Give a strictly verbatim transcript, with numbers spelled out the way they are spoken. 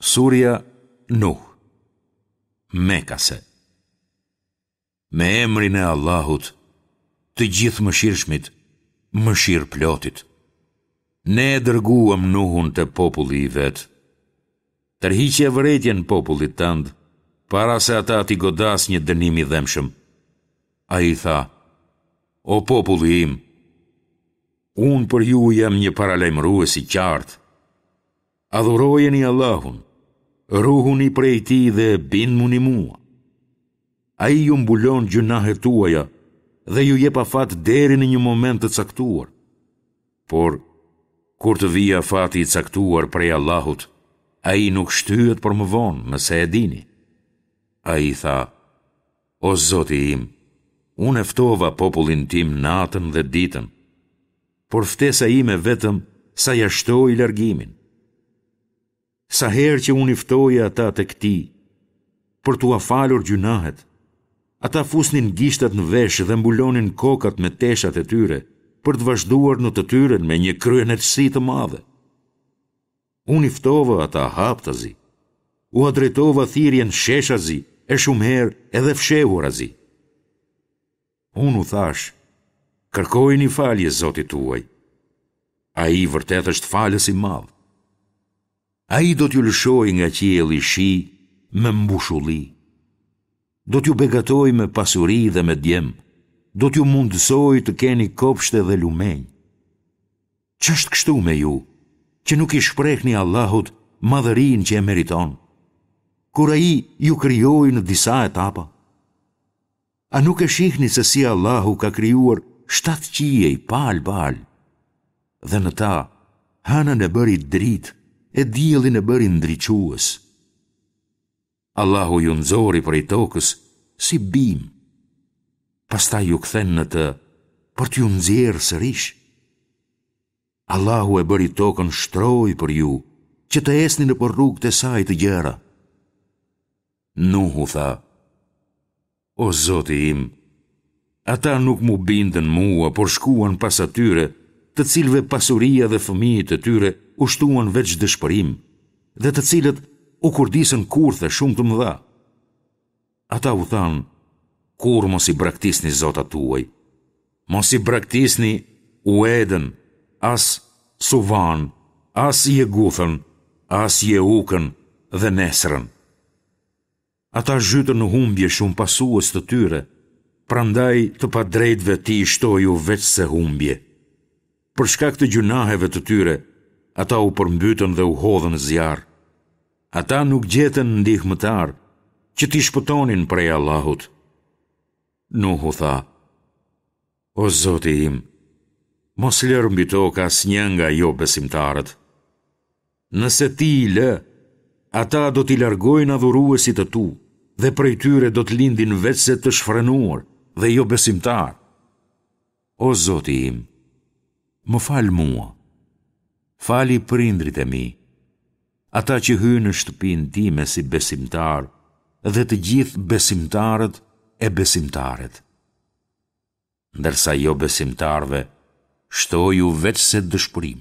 Surja Nuh Mekase Me emrin e Allahut, të Gjithëmëshirshmit, Mëshirëplotit. Ne e dërguam Nuhun te populli i vet. Tërhiqja vërejtjen popullit tënd, para se ata t'i godasë një dënim i dhembshëm. Ai tha, O populli im, unë për ju jam një paralajmërues i qartë. Adhurojeni Allahun, ruhuni prej tij dhe bindmuni mua. Ai ju mbulon gjynahet tuaja dhe ju jep afat deri në një moment të caktuar. Por, kur të vijë afati i caktuar prej Allahut, ai nuk shtyhet për më vonë, nëse e dini. Ai tha, O Zoti im, unë e ftova popullin tim natën dhe ditën, por ftesa ime vetëm sa ia shtoi largimin. Sa herë që unë i ftoja ata tek ti, për t'ua falur gjynahet, ata fusnin gishtat në vesh dhe mbulonin kokat me teshat e tyre, për të vazhduar në të tyren me një kryeneçësi të madhe. Unë i ftova ata haptazi, ua drejtova thirrjen sheshazi e shumë herë edhe fshehurazi. Unë u thashë, kërkojini falje Zotit tuaj. Ai vërtet është falës i madh. Ai do t'ju lëshojë nga qielli shi me mbushulli. Do t'ju begatojë me pasuri dhe me djem, do t'ju mundësojë të keni kopshte dhe lumenj. Ç'është kështu me ju, që nuk i shprehni Allahut madhërinë që e meriton, kur Ai ju krijoi në disa etapa? A nuk e shihni se si Allahu ka krijuar shtatë qiej palë palë? Dhe në ta, hënën e bëri dritë e diellin e bëri ndriçues. Allahu ju nxori prej tokës si bimë, pastaj ju kthen në të për t'ju nxjerrë sërish. Allahu e bëri tokën shtrojë për ju, që të ecni nëpër rrugët e saj të gjera. Nuhu tha, O Zoti im, ata nuk m'u bindën mua, por shkuan pas atyre, të cilëve pasuria dhe fëmijët e tyre u shtuan veç dëshpërim, dhe të cilët u kurdisën kurthe shumë të mëdha. Ata u thanë, kurrë mos i braktisni zotat tuaj, mos i braktisni Uedën, as Suvan, as Jeguthën, as Jeukën dhe Nesrën. Ata zhytën në humbje shumë pasues të tyre, prandaj të padrejtëve ti shtoju veçse humbje. Për shkak të gjynaheve të tyre, ata u përmbytën dhe u hodhën në zjarr. Ata nuk gjetën ndihmëtarë që t'i shpëtonin prej Allahut. Nuhu tha, O Zoti im, mos lër mbi tokë asnjë nga jobesimtarët. Nëse ti i lë, ata do t'i largojnë adhuruesit e tu dhe prej tyre do të lindin veçse të shfrenuar dhe jobesimtarë. O Zoti im, më fal mua, fali prindërit e mi, ata që hynë në shtëpinë time si besimtarë dhe të gjithë besimtarët e besimtaret. Ndërsa jobesimtarëve shtoju veçse dëshpërim.